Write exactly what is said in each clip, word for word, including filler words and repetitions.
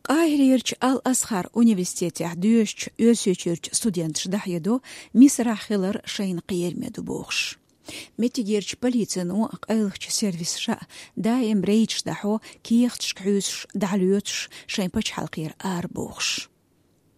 Къахьирерчу Ал-Азхар университетехь доьшучу Оьрсийчуьрчу студенташа дӀахьедо, Мисарахь хилар шайна кхераме ду бохуш. Меттигерчу полицино къайлахчу сервисаша даим рейдаш дӀахьо, кехаташка хьуьйсуш, дӀахьоьцуш шайн пачхьалкхера арабохуш.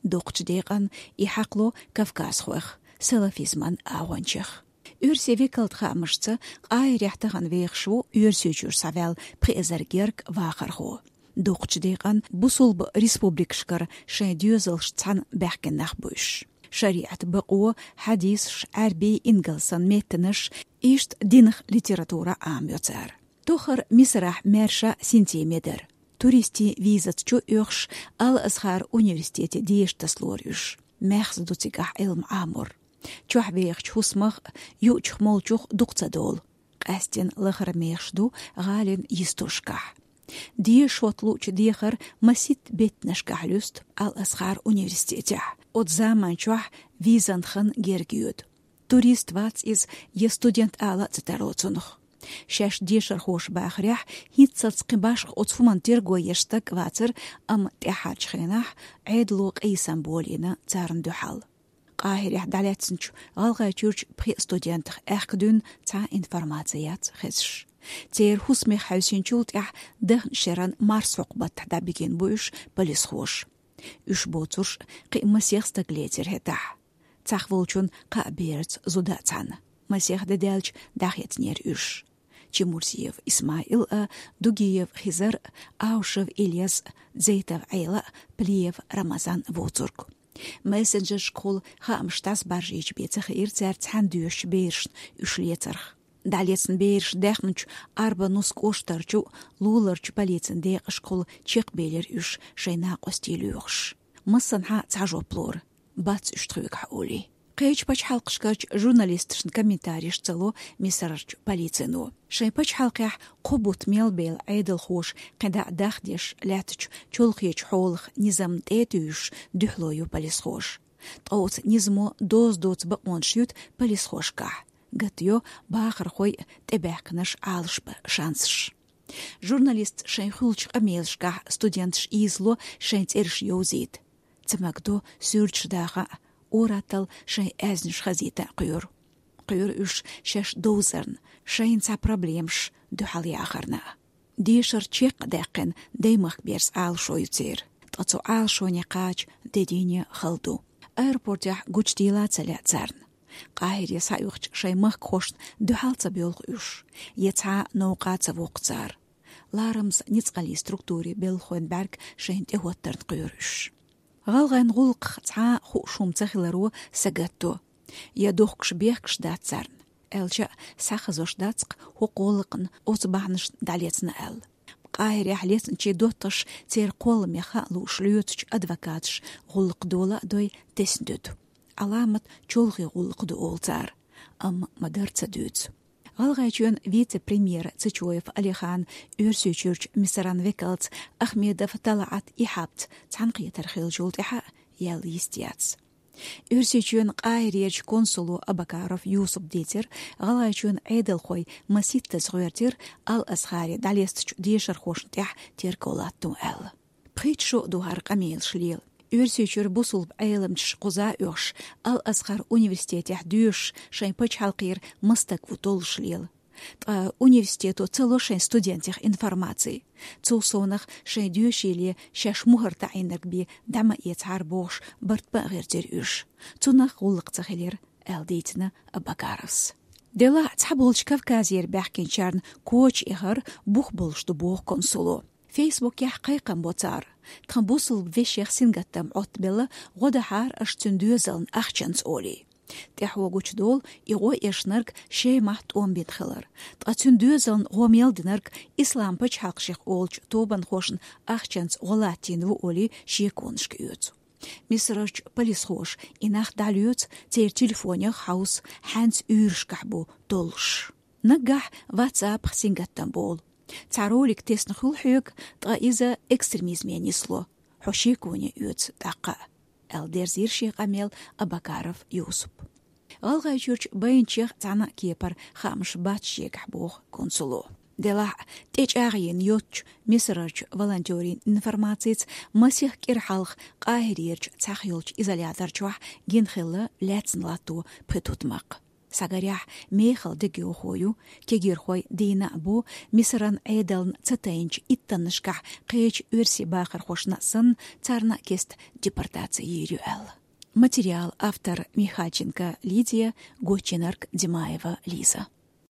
Дукхачу декъана и хьакхало кавказхойх, салафизман агӀончех. Оьрсийн векалта хаамашца, Къахьирехь тахана вехаш ву Оьрсийчуьра схьаваьлла пхи эзар герга вахархо. Дукхачу декъана бусулба республикашкара шайн доьзалшца цхьаьна баьхкина нах бу уьш. ШариӀат бакъо, хьадисаш, Ӏаьрбий, ингалсан меттанаш, иштта динах литература Ӏамайо цара. Тохара Мисарахь маьрша синтеме дара. Туристийн визаца чу а оьхуш, Ал-Азхар университете деша тасалора уьш. Маьхза ду цигахь Ӏилма Ӏамор. Чохь вехачу хӀусамах а, юучух-молчух дукха ца долу. Къаьсттина лахара мехаш ду гӀалин йистошкахь. Деша хӀотта луучу дехар масийтта беттанашкахь луьсту Ал-Азхар университетехь. Оцу заманчохь визан хан герга йоьду. Турист вац иза я студент ала а ца таро цунах. Шаьш дешархоша бахарехь, хӀинццалц кхин башха оцу хӀуманна терго еш стаг а вацара, амма тӀаьххьарчу хенахь Ӏедало къийсам болийна царна дуьхьал. Къахьирехь дӀалаьцначу ГӀалгӀайчуьрчу пхи студентах аьхка дуьйна цхьа информаци яц хезаш. Церан хӀусамех хьаьвсинчул тӀаьхьа дахначу шеран марсхьокху баттахь дӀабигина бу уьш полисхоша. Уьш боцурш кхин а масех стаг лецира хӀетахь. Цхьаъ волчун кхаа бераца зуда а цхьаьна. Масех де даьлча дӀахецнера уьш. Чемурзиев Исмаил а, Дугиев Хизар а, Аушев Ильяс а, Зейтов Ӏела а, Плиев Рамазан а воцург. Мессенджершкахула хаамаш дӀасабаржийча бен ца хиира цаьрца цхьаьна доьшучу берашна уьш лецарх. ДӀалецна бераш даьхначу Арба-Нус кӀоштарчу а, луларчу полицин декъашкахула чекхбелира уьш шайн накъостий лоьхуш. Массанхьа цхьа жоп лора: «Бац уьш тхоьгахь», — олий. Кхечу пачхьалкхашкарчу журналисташна комментареш ца ло Мисарарчу полицино. Шайн пачхьалкхехь кхо бутт мел бевлла Ӏедалхоша кхин дӀа дахдеш лаьттачу чолхечу хьолах низамна тӀе а туьйсуш дуьхьало ю полисхоша. Ткъа оцу низамо доза доцу бакъонаш юьту полисхошкахь, гатйо бахархой а, тӀебаьхкинарш Ӏалашбан шансаш. Журналисташа шайн хуьлучу къамелашкахь студенташ ийзало шайн цӀераш йовзийта. Ца магадо суьрташ даха а, ур-атталла шайн аьзнаш хазийта а кхоьру. Кхоьру уьш шаьш довзарна, шайна цхьа проблемаш дуьхьал яхарна. Дешар чекх а даьккхина, даймахка берза Ӏалашо ю церан. Ткъа цу Ӏалашоне кхача де дийне хала ду. Аэропортехь гучудийла а ца лаьа царна. Къахьире схьаоьхучу шайн махкахошна дуьхьал ца боьлху уьш, я цхьа а новкъа ца воккху цара. Ларамаза ницкъаллин структурийн белхалойн бӀаьрг шайна тӀехӀоттарна кхоьру уьш. ГӀалгӀайн гӀуллакхах цхьа а хууш хӀума ца хиларо сагатдо. Я дохкуш-бехкаш дац царна, аьлча а, схьахезош дац-кх хӀокху гӀуллакхна оцу бахьанашна дӀалецна аьлла. Къахьирехь лецначийн доттагӀаша церан кхолламех хаа лууш лоьцучу адвокаташа гӀуллакх дола а дой, тесна дуьту. Ӏаламат чолхе гӀуллакх ду олу цара, амма ма-дарра ца дуьйцу. ГӀалгӀайчоьнан вице-премьера Цечоев Алихана Оьрсийчуьрчу Мисаран векалца Ахмедов ТалаӀат Ихьапца цхьаьнакхетар хиллачул тӀаьхьа яьлла йист яц. Оьрсийчоьнан Къахьирерчу консуло Абакаров Юсупа дийцира, ГӀалгӀайчоьнан Ӏедалхой масийттаза гӀоьртира Ал-Азхаре дӀалецначу дешархошна тӀехь терго латтон аьлла. Пхийтта шо ду хӀара къамелаш лела. Оьрсийчуьра бусулба Ӏеламчаш кхуза а оьхуш, Ал-Азхар университетехь доьшуш шайн пачхьалкхера маса стаг ву толлуш лела. Ткъа университето ца ло шайн студентех информаци. Цул совнаха шайн доьшийле шаьш мухӀар таӀийнарг бен дӀа ма эцахьара бохуш, барт бан а гӀиртира уьш. Цунах гӀуллакх ца хилира, аьлла дийцина Абакаровс. Делахь а цхьаболчу Кавказера баьхкинчарна коча эхар бух болуш ду боху консуло. Фейсбукехь кхайкхам бо цара: «Тхан бусулба вешех сингаттам Ӏоттабелла, гӀо дахьара аша цуьнан доьзална ахчанца», — олий. ТӀаьхьо гучудолу и гӀо эшнарг Шемахь тӀом бина хилар. Ткъа цуьнан доьзална гӀо мел динарг ислам пачхьалкх шех олучу тобанхошна ахчанца гӀо латтийна ву олий, шеконашка оьцу. Мисарарчу полисхоша и нах дӀалоьцу, церан телефонех хьовса, хьаьнца уьйрашкахь бу толлуш. Наггахь WhatsApp-ах сингаттам болу. Цхьа ролик тесна хуьлу хьоьга, ткъа иза экстремизме нисло. Хьо шеконе оьцу тӀаккха а, аьлла дерзийра шен къамел Абакаров Юсупа. ГӀалгӀайчуьрчу байначех цхьана а кепара хаамаш бац шегахь, боху консуло. Делахь а, тӀечӀагӀйина йоцучу Мисарарчу волонтерийн информацица, масех кӀира хьалха Къахьирерчу цхьаьхьайолчу изолятор чохь гина хилла лаьцна латто пхи тутмакх. Схьагарехь, мехала дегайовхо ю, кегийрхой дийна а бу Мисаран Ӏедална ца тайначу иттаннашкахь кхечу оьрсийн бахархошна а санна, царна а кеста депортаци йийр ю аьлла. Материалан автор Михальченко Лидия, гочйинарг Димаева Лиза.